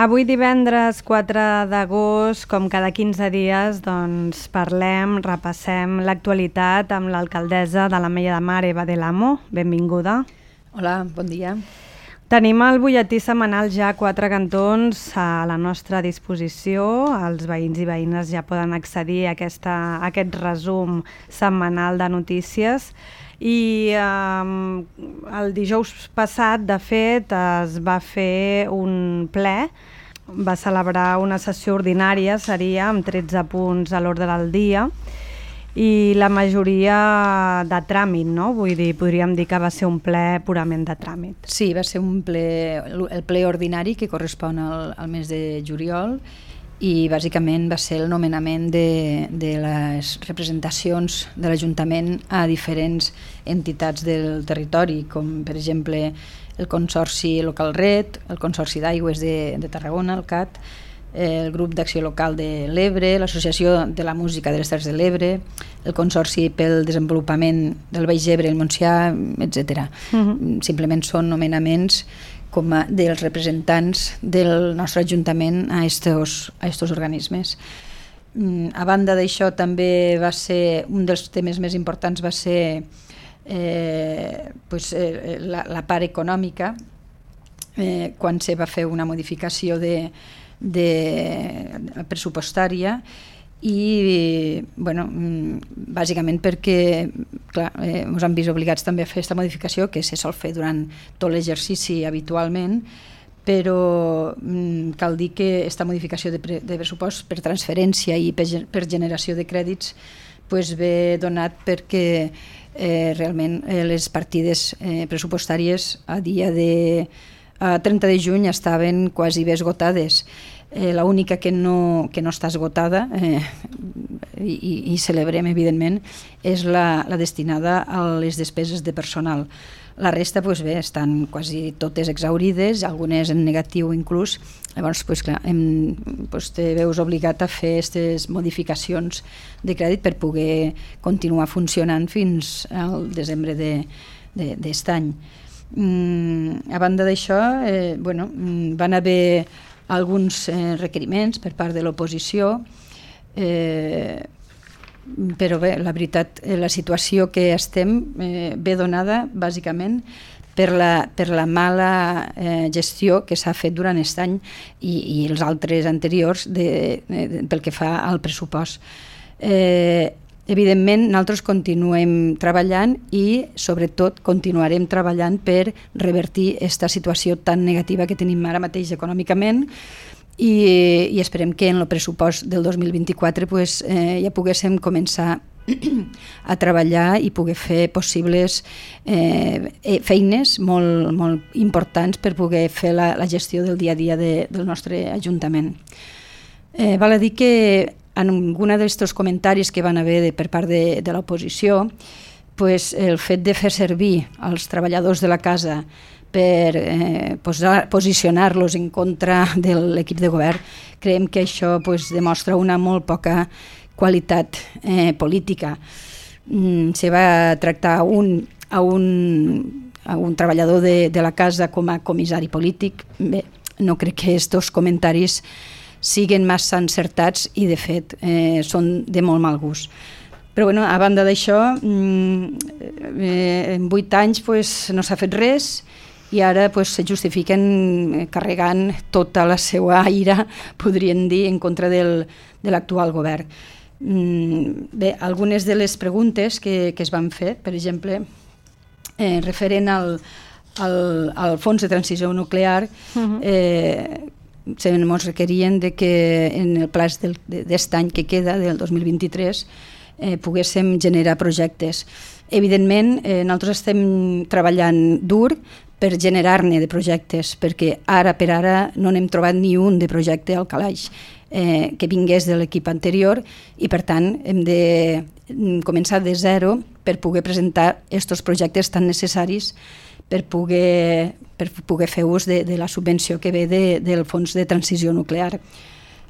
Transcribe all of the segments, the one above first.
Avui divendres 4 d'agost, com cada 15 dies, doncs parlem, repassem l'actualitat amb l'alcaldessa de l'Ametlla de Mar, Eva del Amo. Benvinguda. Hola, bon dia. Tenim el butlletí setmanal ja a 4 cantons a la nostra disposició. Els veïns i veïnes ja poden accedir a aquest resum setmanal de notícies. I el dijous passat, de fet, es va fer un ple, va celebrar una sessió ordinària, seria amb 13 punts a l'ordre del dia, i la majoria de tràmit, no? Vull dir, podríem dir que va ser un ple purament de tràmit. Sí, va ser el ple ordinari que correspon al mes de juliol, i bàsicament va ser el nomenament de les representacions de l'Ajuntament a diferents entitats del territori, com per exemple el Consorci Local Red, el Consorci d'Aigües de Tarragona, el CAT, el Grup d'Acció Local de l'Ebre, l'Associació de la Música de les Terres de l'Ebre, el Consorci pel Desenvolupament del Baix Ebre, el Montsià, etc. Simplement són nomenaments com dels representants del nostre Ajuntament a estos organismes. A banda d'això, també va ser un dels temes més importants va ser la part econòmica, quan se va fer una modificació pressupostària, i bàsicament perquè ens han vist obligats també a fer aquesta modificació, que se sol fer durant tot l'exercici habitualment, però cal dir que aquesta modificació de pressupost per transferència i per generació de crèdits ve donat perquè realment les partides pressupostàries a 30 de juny estaven quasi bé esgotades. L'única que no està esgotada, i celebrem evidentment, és la destinada a les despeses de personal. La resta estan quasi totes exhaurides, algunes en negatiu inclús. Llavors te veus obligat a fer aquestes modificacions de crèdit per poder continuar funcionant fins al desembre d'aquest any. A banda d'això, van haver alguns requeriments per part de l'oposició, però bé, la veritat, la situació que estem ve donada bàsicament per la mala gestió que s'ha fet durant aquest any i els altres anteriors pel que fa al pressupost. Evidentment, nosaltres continuem treballant i, sobretot, continuarem treballant per revertir aquesta situació tan negativa que tenim ara mateix econòmicament, i esperem que en el pressupost del 2024 ja poguéssim començar a treballar i poder fer possibles feines molt importants per poder fer la gestió del dia a dia del nostre Ajuntament. Val a dir que en algun d'aquests comentaris que van haver per part de l'oposició, el fet de fer servir els treballadors de la casa per posicionar-los en contra de l'equip de govern, creiem que això demostra una molt poca qualitat política. Se va tractar a un treballador de la casa com a comissari polític. Bé, no crec que aquests comentaris siguin massa encertats i, de fet, són de molt mal gust. Però, a banda d'això, en 8 anys no s'ha fet res i ara se justifiquen carregant tota la seva ira, podríem dir, en contra de l'actual govern. Bé, algunes de les preguntes que es van fer, per exemple, referent al fons de transició nuclear, ens requerien que en el pla d'aquest any que queda, del 2023, poguéssim generar projectes. Evidentment, nosaltres estem treballant dur per generar-ne de projectes, perquè ara per ara no n'hem trobat ni un de projecte al calaix que vingués de l'equip anterior, i per tant hem de començar de zero per poder presentar aquests projectes tan necessaris per poder fer ús de la subvenció que ve del fons de transició nuclear.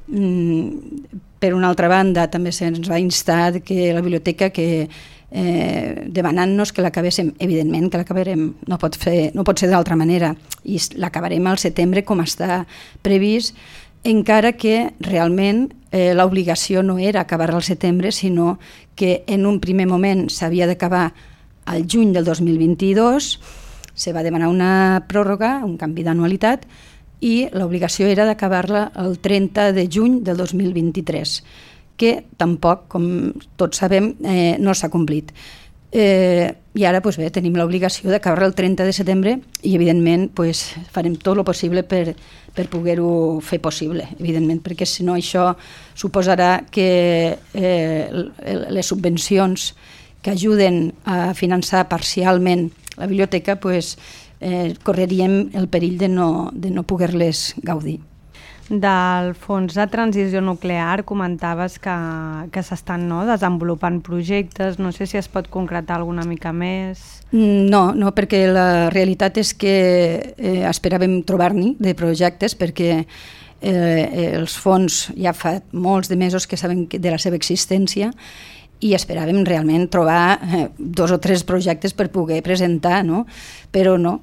Per una altra banda, també se'ns va instar que la biblioteca, que demanant-nos que l'acabéssim. Evidentment que l'acabarem, no pot ser d'altra manera, i l'acabarem al setembre com està previst, encara que realment l'obligació no era acabar al setembre, sinó que en un primer moment s'havia d'acabar al juny del 2022, se va demanar una pròrroga, un canvi d'anualitat, i l'obligació era d'acabar-la el 30 de juny del 2023, que tampoc, com tots sabem, no s'ha complit. I ara bé, tenim l'obligació d'acabar-la el 30 de setembre i, evidentment, farem tot el possible per poder-ho fer possible, evidentment, perquè si no això suposarà que les subvencions que ajuden a finançar parcialment la biblioteca correríem el perill de no poder-les gaudir. Del fons de transició nuclear comentaves que s'estan desenvolupant projectes, no sé si es pot concretar alguna mica més. No, perquè la realitat és que esperàvem trobar-n'hi de projectes, perquè els fons ja fa molts de mesos que sabem de la seva existència i esperàvem realment trobar 2 o 3 projectes per poder presentar, no? Però no,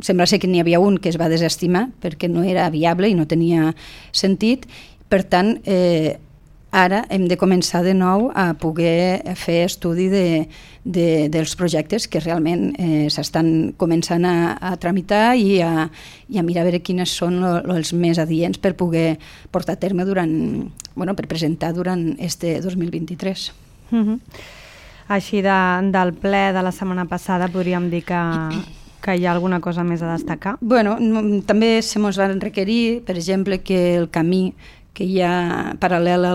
sembla ser que n'hi havia un que es va desestimar perquè no era viable i no tenia sentit. Per tant, ara hem de començar de nou a poder fer estudi dels projectes que realment s'estan començant a tramitar i a mirar a veure quines són els més adients per poder portar a terme per presentar durant este 2023. Així del ple de la setmana passada podríem dir que hi ha alguna cosa més a destacar? També se mos van requerir, per exemple, que el camí que hi ha paral·lel a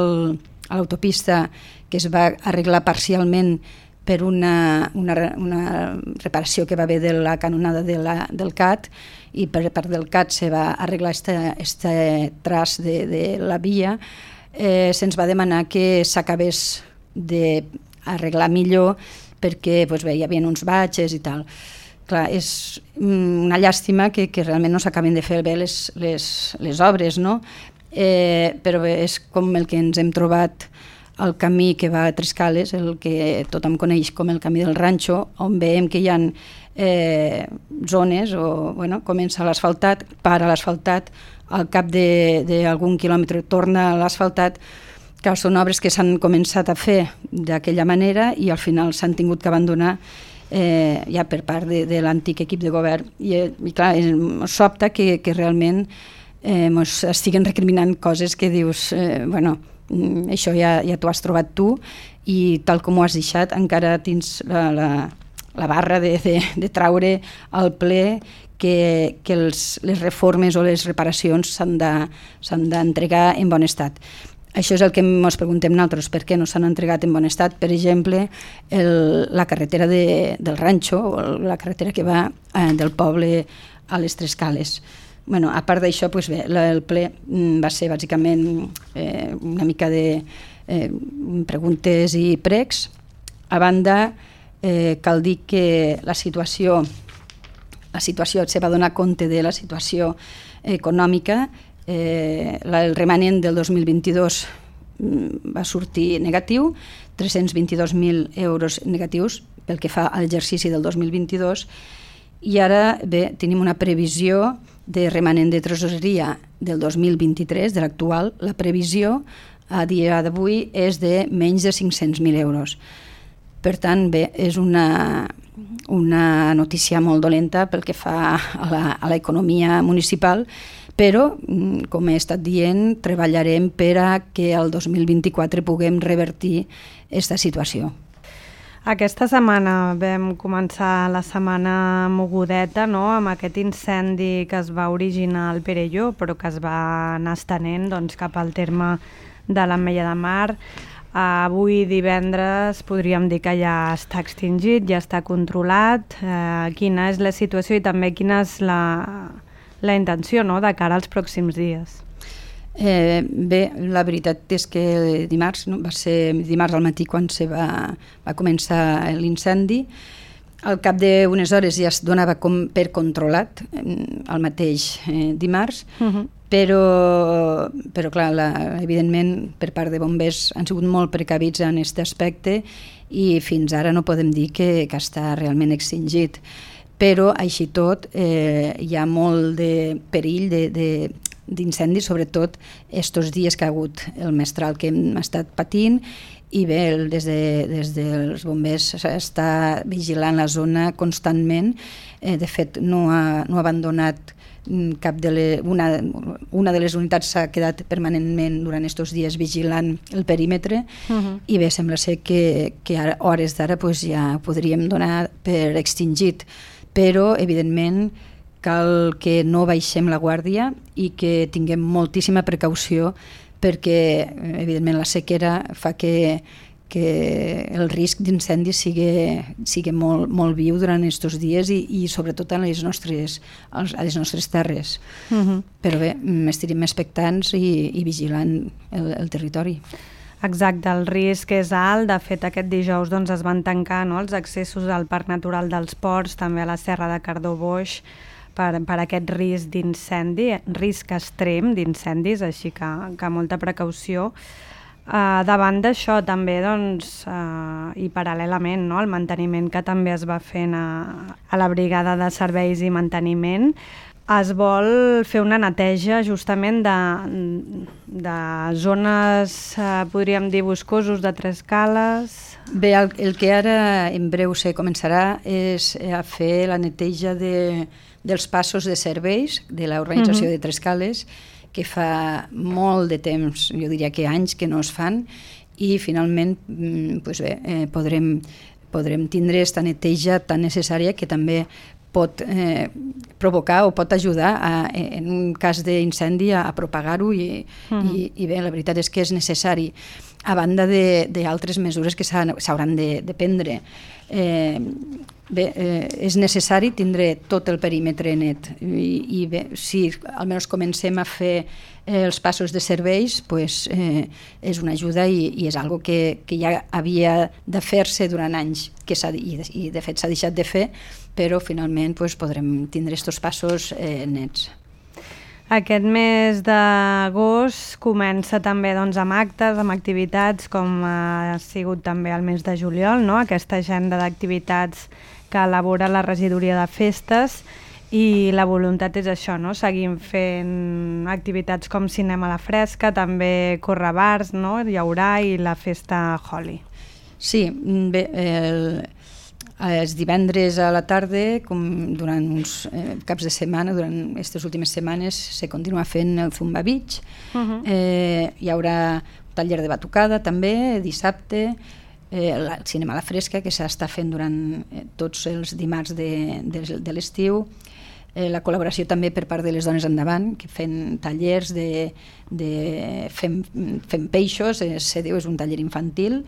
l'autopista, que es va arreglar parcialment per una reparació que va haver de la canonada del CAT, i per part del CAT se va arreglar este tras de la via, se'ns va demanar que s'acabés d'arreglar millor perquè hi havia uns batxes i tal. Clar, és una llàstima que realment no s'acaben de fer bé les obres, no? Però és com el que ens hem trobat el camí que va a Trescales, el que tothom coneix com el camí del Ranxo, on veiem que hi ha zones, comença l'asfaltat, para l'asfaltat, al cap d'algun quilòmetre torna a l'asfaltat. Clar, són obres que s'han començat a fer d'aquella manera i al final s'han tingut que abandonar ja per part de l'antic equip de govern. I clar, sobta que realment ens estiguen recriminant coses que dius, això ja t'ho has trobat tu i tal com ho has deixat encara tens la barra de traure al ple que les reformes o les reparacions s'han d'entregar en bon estat. Això és el que ens preguntem nosaltres, per què no s'han entregat en bon estat. Per exemple, la carretera del Ranxo, o la carretera que va del poble a les Trescales. A part d'això, el ple va ser bàsicament una mica de preguntes i pregs. A banda, cal dir que la situació se va donar compte de la situació econòmica. El remanent del 2022 va sortir negatiu, 322.000 euros negatius pel que fa a l'exercici del 2022, i ara tenim una previsió de remanent de tresoreria del 2023, de l'actual. La previsió a dia d'avui és de menys de 500.000 euros. Per tant, és una notícia molt dolenta pel que fa a l'economia municipal, però, com he estat dient, treballarem per a que el 2024 puguem revertir aquesta situació. Aquesta setmana vam començar la setmana mogudeta, amb aquest incendi que es va originar al Perelló, però que es va anar estenent cap al terme de l'Ametlla de Mar. Avui divendres podríem dir que ja està extingit, ja està controlat. Quina és la situació i també quina és la intenció de cara als pròxims dies? La veritat és que va ser dimarts al matí quan va començar l'incendi. al cap d'unes hores ja es donava com per controlat el mateix dimarts, però clar, evidentment per part de bombers han sigut molt precavits en aquest aspecte i fins ara no podem dir que està realment extingit. Però així tot hi ha molt de perill d'incendi, sobretot estos dies que ha hagut el mestral que hem estat patint, i bé, des dels bombers s'està vigilant la zona constantment. De fet, no ha abandonat cap una de les unitats s'ha quedat permanentment durant aquests dies vigilant el perímetre, i bé, sembla ser que a hores d'ara ja ho podríem donar per extingit, però evidentment cal que no baixem la guàrdia i que tinguem moltíssima precaució, perquè evidentment la sequera fa que el risc d'incendi sigui molt viu durant aquests dies i sobretot a les nostres terres. Però bé, estarem expectants i vigilant el territori. Exacte, el risc és alt. De fet, aquest dijous es van tancar els accessos al Parc Natural dels Ports, també a la Serra de Cardó-Boix, per aquest risc d'incendi, risc extrem d'incendis, així que molta precaució. Davant d'això també, i paral·lelament, el manteniment que també es va fent a la Brigada de Serveis i Manteniment, es vol fer una neteja justament de zones, podríem dir, boscosos de Tres Cales. Bé, el que ara en breu se començarà és a fer la neteja dels passos de serveis de l'organització de Tres Cales, que fa molt de temps, jo diria que anys que no es fan, i finalment podrem tindre aquesta neteja tan necessària que també pot provocar o pot ajudar en un cas d'incendi a propagar-ho i bé, la veritat és que és necessari, a banda d'altres mesures que s'hauran de prendre. Bé, és necessari tindre tot el perímetre net i bé, si almenys comencem a fer els passos de serveis, és una ajuda i és algo que ja havia de fer-se durant anys i de fet s'ha deixat de fer, però finalment podrem tindre aquests passos nets. Aquest mes d'agost comença també amb actes, amb activitats, com ha sigut també el mes de juliol, aquesta agenda d'activitats que elabora la regidoria de festes, i la voluntat és això, seguim fent activitats com cinema a la fresca, també correbars, hi haurà, i la festa Holi. Sí, bé, els divendres a la tarda, com durant uns caps de setmana, durant aquestes últimes setmanes, se continua fent el Zumba Beach. Hi haurà un taller de batucada també, dissabte, el cinema a la fresca, que s'està fent durant tots els dimarts de l'estiu, la col·laboració també per part de les Dones Endavant, que fem tallers fem peixos, és un taller infantil.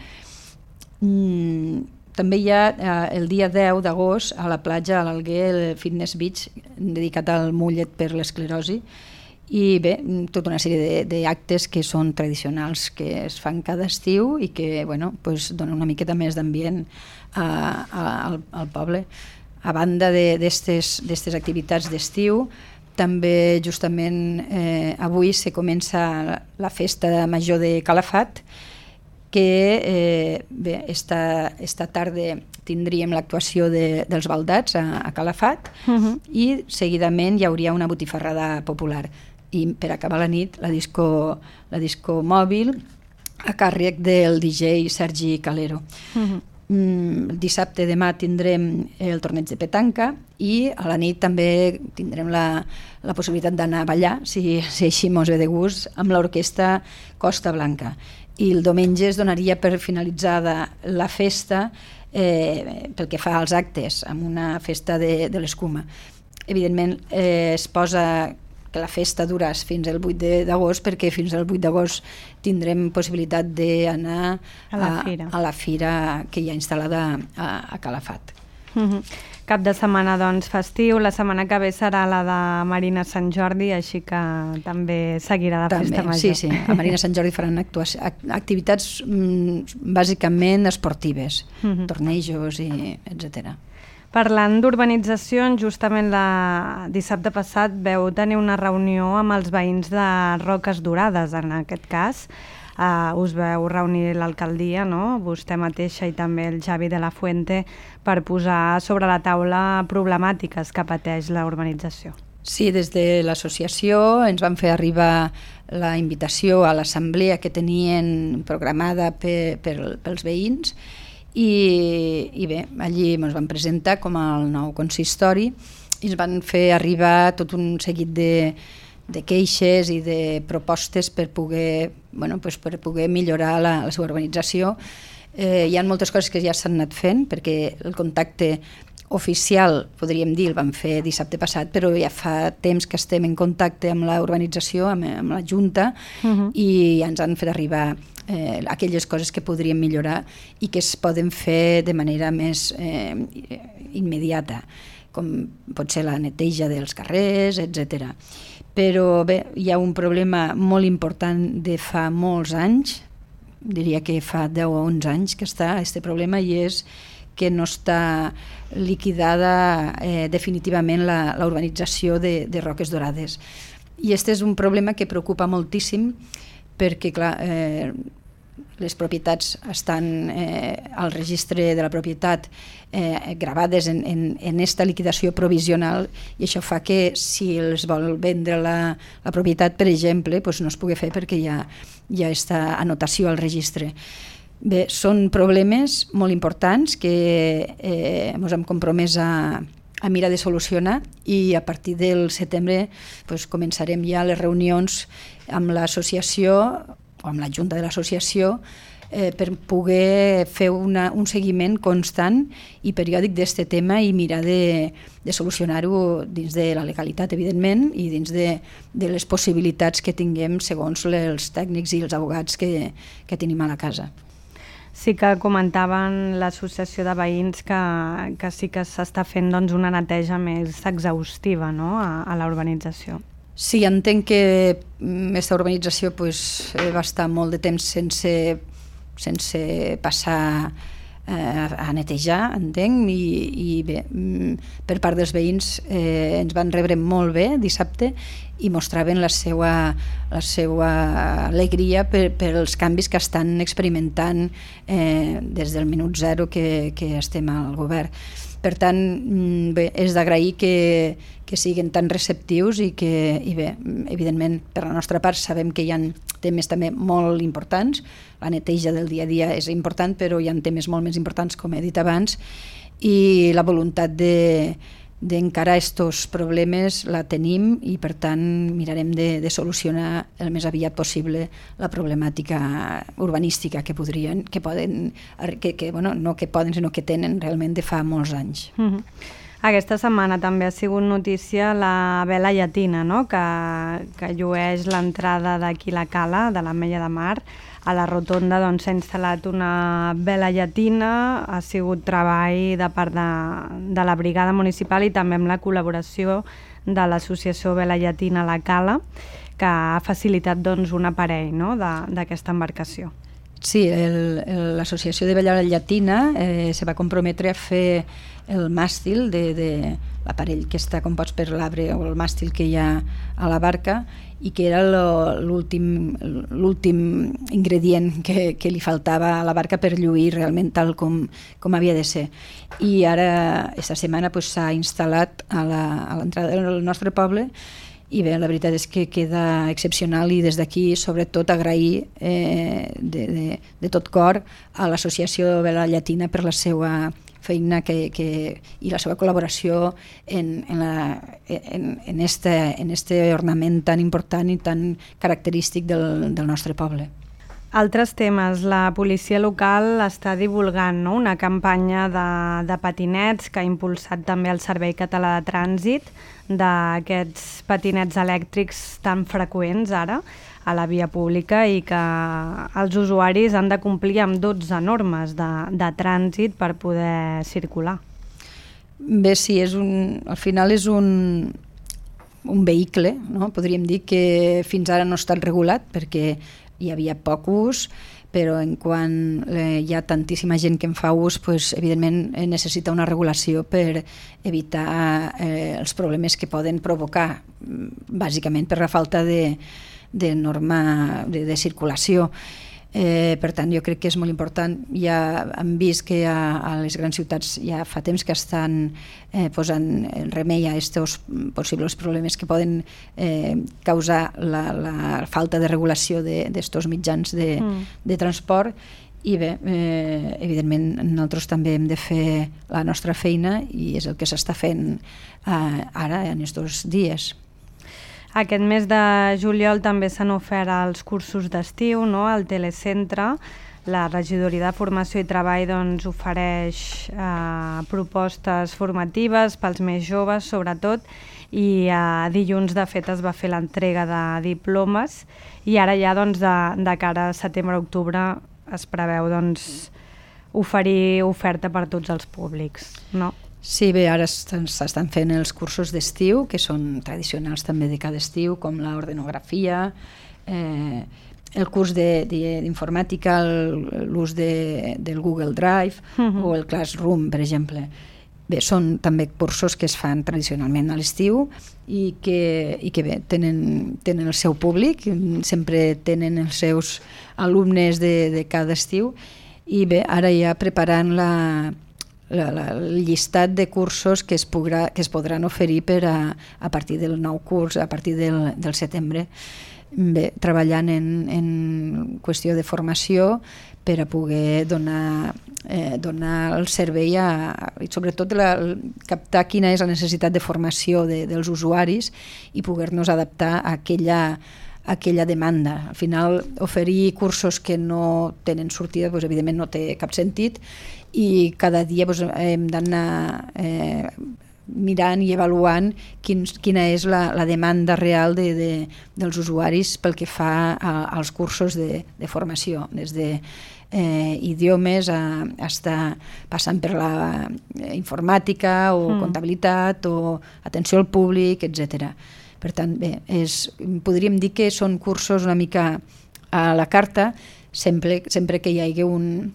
També hi ha el dia 10 d'agost a la platja, a l'Alguer, el Fitness Beach, dedicat al mullet per l'esclerosi, i bé, tota una sèrie d'actes que són tradicionals, que es fan cada estiu i que donen una miqueta més d'ambient al poble. A banda d'aquestes activitats d'estiu, també justament avui se comença la festa major de Calafat, que bé, esta tarda tindríem l'actuació dels baldats a Calafat, i seguidament hi hauria una botifarrada popular. I per acabar la nit, la disco mòbil a càrrec del DJ Sergi Calero. Dissabte demà tindrem el torneig de petanca i a la nit també tindrem la possibilitat d'anar a ballar, si així mos ve de gust, amb l'orquestra Costa Blanca. I el diumenge es donaria per finalitzada la festa pel que fa als actes, amb una festa de l'escuma. Evidentment es posa que la festa dura fins al 8 d'agost, perquè fins al 8 d'agost tindrem possibilitat d'anar a la fira que hi ha instal·lada a Calafat. Cap de setmana festiu, la setmana que ve serà la de Marina Sant Jordi, així que també seguirà la festa major. Sí, a Marina Sant Jordi faran activitats bàsicament esportives, tornejos, etc. Parlant d'urbanitzacions, justament dissabte passat veu tenir una reunió amb els veïns de Roques Dorades, en aquest cas. Us veu reunir l'alcaldia, no? Vostè mateixa i també el Xavi de la Fuente, per posar sobre la taula problemàtiques que pateix la urbanització. Sí, des de l'associació ens van fer arribar la invitació a l'assemblea que tenien programada pels veïns i bé, allí ens van presentar com el nou consistori i ens van fer arribar tot un seguit de queixes i de propostes per poder millorar la seva urbanització. Hi ha moltes coses que ja s'han anat fent perquè el contacte oficial, podríem dir, el vam fer dissabte passat, però ja fa temps que estem en contacte amb la urbanització, amb la Junta, i ja ens han fet arribar aquelles coses que podríem millorar i que es poden fer de manera més immediata, com pot ser la neteja dels carrers, etc. Però bé, hi ha un problema molt important de fa molts anys, diria que fa 10 o 11 anys que està aquest problema, i és que no està liquidada definitivament la urbanització de Roques Dorades. I aquest és un problema que preocupa moltíssim perquè, clar, les propietats estan al registre de la propietat gravades en aquesta liquidació provisional, i això fa que si els vol vendre la propietat, per exemple, doncs no es pugui fer perquè hi ha aquesta anotació al registre. Bé, són problemes molt importants que ens hem compromès a mirar de solucionar, i a partir del setembre començarem ja les reunions amb l'associació o amb la Junta de l'associació per poder fer un seguiment constant i periòdic d'aquest tema i mirar de solucionar-ho dins de la legalitat, evidentment, i dins de les possibilitats que tinguem segons els tècnics i els advocats que tenim a la casa. Sí que comentaven l'associació de veïns que sí que s'està fent una neteja més exhaustiva, no?, a la urbanització. Sí, entenc que aquesta urbanització va estar molt de temps sense passar a netejar, entenc, i bé, per part dels veïns ens van rebre molt bé dissabte i mostraven la seva alegria per els canvis que estan experimentant des del minut zero que estem al govern. Per tant, bé, és d'agrair que siguin tan receptius i bé, evidentment, per la nostra part sabem que hi ha temes també molt importants. La neteja del dia a dia és important, però hi ha temes molt més importants, com he dit abans, i la voluntat d'encarar aquests problemes la tenim i, per tant, mirarem de solucionar el més aviat possible la problemàtica urbanística que tenen realment de fa molts anys. Aquesta setmana també ha sigut notícia la vela llatina, no?, que llueix l'entrada d'aquí la Cala, de l'Ametlla de Mar. A la rotonda s'ha instal·lat una vela llatina, ha sigut treball de part de la brigada municipal i també amb la col·laboració de l'associació Vela Llatina La Cala, que ha facilitat un aparell, no?, d'aquesta embarcació. Sí, l'associació de Vela Llatina se va comprometre a fer el màstil de l'aparell que està compost per l'arbre o el màstil que hi ha a la barca, i que era l'últim ingredient que li faltava a la barca per lluir realment tal com havia de ser. I ara, aquesta setmana, s'ha instal·lat a l'entrada del nostre poble, i bé, la veritat és que queda excepcional, i des d'aquí sobretot agrair de tot cor a l'associació Vela Llatina per la seva feina i la seva col·laboració en este ornament tan important i tan característic del nostre poble. Altres temes. La policia local està divulgant, no?, una campanya de patinets que ha impulsat també el Servei Català de Trànsit, d'aquests patinets elèctrics tan freqüents ara a la via pública i que els usuaris han de complir amb 12 normes de trànsit per poder circular. Bé, sí, al final és un vehicle, no? Podríem dir que fins ara no ha estat regulat perquè hi havia poc ús, però en quan hi ha tantíssima gent que en fa ús, pues, evidentment necessita una regulació per evitar els problemes que poden provocar, bàsicament per la falta de norma de circulació. Per tant, jo crec que és molt important. Ja hem vist que a les grans ciutats ja fa temps que estan posant remei a aquests possibles problemes que poden causar la falta de regulació d'estos mitjans de transport. I bé, evidentment nosaltres també hem de fer la nostra feina i és el que s'està fent ara en aquests dies. Aquest mes de juliol també s'han ofert els cursos d'estiu, no? Al Telecentre. La Regidoria de Formació i Treball doncs, ofereix propostes formatives pels més joves, sobretot, i dilluns, de fet, es va fer l'entrega de diplomes i ara ja doncs, de cara a setembre-octubre es preveu doncs, oferir oferta per tots els públics, no? Sí, bé, ara s'estan fent els cursos d'estiu, que són tradicionals també de cada estiu, com l'ordenografia, el curs d'informàtica, l'ús del Google Drive o el Classroom, per exemple. Bé, són també cursos que es fan tradicionalment a l'estiu i que bé, tenen el seu públic, sempre tenen els seus alumnes de cada estiu i bé, ara ja preparant el llistat de cursos que es podran oferir a partir del nou curs, a partir del setembre. Bé, treballant en qüestió de formació per a poder donar el servei i sobretot captar quina és la necessitat de formació dels usuaris i poder-nos adaptar a aquella demanda. Al final, oferir cursos que no tenen sortida, doncs, evidentment no té cap sentit i cada dia doncs, hem d'anar mirant i avaluant quina és la demanda real dels usuaris pel que fa als cursos de formació, des de idiomes estar passant per la informàtica o comptabilitat o atenció al públic, etc. Per tant, bé, podríem dir que són cursos una mica a la carta sempre que hi hagi un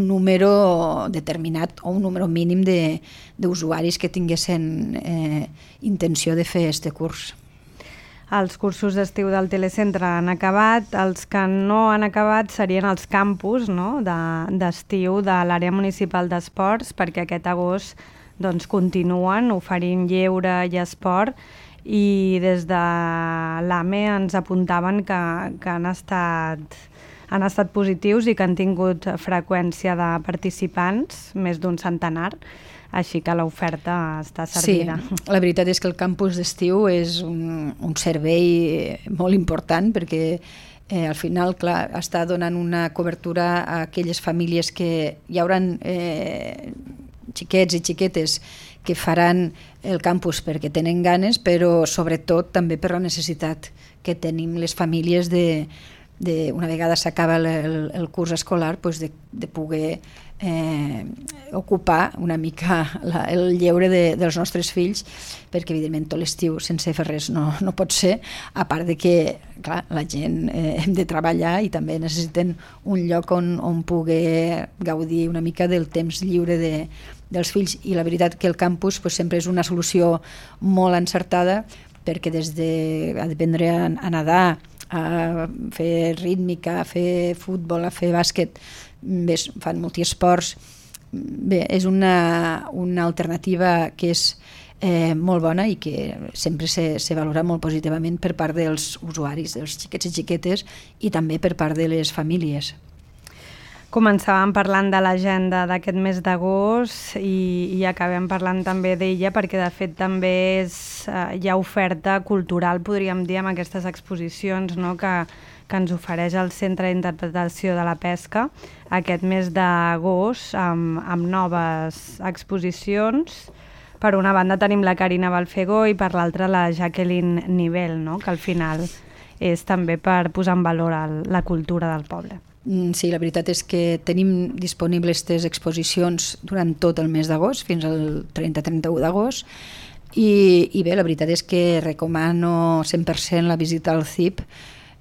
número determinat o un número mínim d'usuaris que tinguessin intenció de fer aquest curs. Els cursos d'estiu del Telecentre han acabat, els que no han acabat serien els campus, no? d'estiu de l'àrea municipal d'esports, perquè aquest agost doncs, continuen oferint lleure i esport i des de l'AME ens apuntaven que han estat positius i que han tingut freqüència de participants, més d'un centenar, així que l'oferta està servida. Sí, la veritat és que el campus d'estiu és un servei molt important perquè al final, clar, està donant una cobertura a aquelles famílies que hi haurà xiquets i xiquetes que faran el campus perquè tenen ganes, però sobretot també per la necessitat que tenim les famílies una vegada s'acaba el curs escolar, de poder ocupar una mica el lleure dels nostres fills, perquè evidentment tot l'estiu sense fer res no pot ser, a part de que clar, la gent hem de treballar i també necessiten un lloc on poder gaudir una mica del temps lliure dels fills, i la veritat que el campus sempre és una solució molt encertada, perquè des d'aprendre a nedar, a fer rítmica, a fer futbol, a fer bàsquet, bé, fan multiesports. Bé, és una alternativa que és molt bona i que sempre se valora molt positivament per part dels usuaris, dels xiquets i xiquetes, i també per part de les famílies. Començàvem parlant de l'agenda d'aquest mes d'agost i acabem parlant també d'ella perquè de fet també hi ha oferta cultural, podríem dir, amb aquestes exposicions, no? que ens ofereix el Centre d'Interpretació de la Pesca aquest mes d'agost amb noves exposicions. Per una banda tenim la Carina Balfegó i per l'altra la Jacqueline Nivel, no? Que al final és també per posar en valor la cultura del poble. Sí, la veritat és que tenim disponibles aquestes exposicions durant tot el mes d'agost, fins al 30-31 d'agost, i bé, la veritat és que recomano 100% la visita al CIP,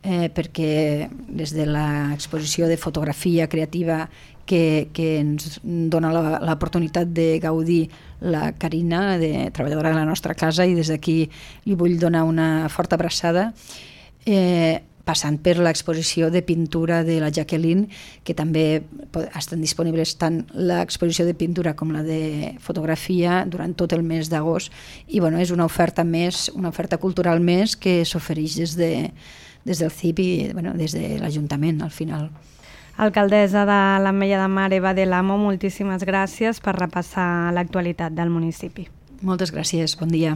perquè des de l'exposició de fotografia creativa que ens dona l'oportunitat de gaudir la Carina, treballadora de la nostra casa, i des d'aquí li vull donar una forta abraçada, passant per l'exposició de pintura de la Jacqueline, que també estan disponibles tant l'exposició de pintura com la de fotografia durant tot el mes d'agost, i és una oferta més, una oferta cultural més que s'ofereix des del CIP i des de l'Ajuntament al final. Alcaldessa de l'Ametlla de Mar, Eva del Amo, moltíssimes gràcies per repassar l'actualitat del municipi. Moltes gràcies, bon dia.